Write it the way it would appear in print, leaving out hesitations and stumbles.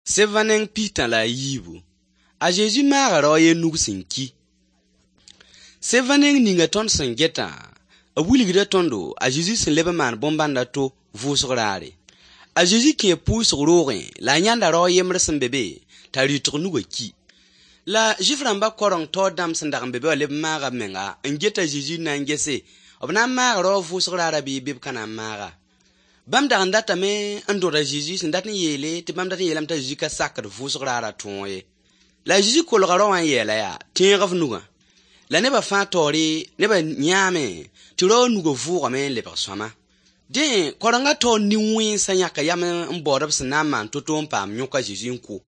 Seva neng 43. A Zezi maaga rao a ye nug sẽn ki. Seva neng ninga tõnd sẽn getã, b wilgda tõndo a Zezi sẽn leb n maan bõn-bãnd a to vʋʋsg raare. A Zezi kẽe pʋʋsg roogẽ la a yãnda rao a yembr sẽn be be t'a rɩtg nugã ki. La Zʋɩf rãmba kaoreng taoor dãmb sẽn dag n be be wã leb n maaga b menga n get a Zezi n na n gese b na n maaga rao vʋʋsg raarã bɩ bɩ b ka na n maaga. Bãmb dag n datame n dõd a Zezi sẽn dat n yeele tɩ bãmb dat n yeelame t'a Zezi ka sakd vʋʋsg raarã tõog ye. La a Zezi kolga rao wã n yeela yaa: tẽeg f nugã. La nebã fãa taoore nebã yãame tɩ rao nugã vʋʋgame n lebg sõama. Dẽ, kaorengã taoor nin-wẽnsã yãka yam n baood b sẽn na n maan to-to n paam yõk a Zezi n kʋ.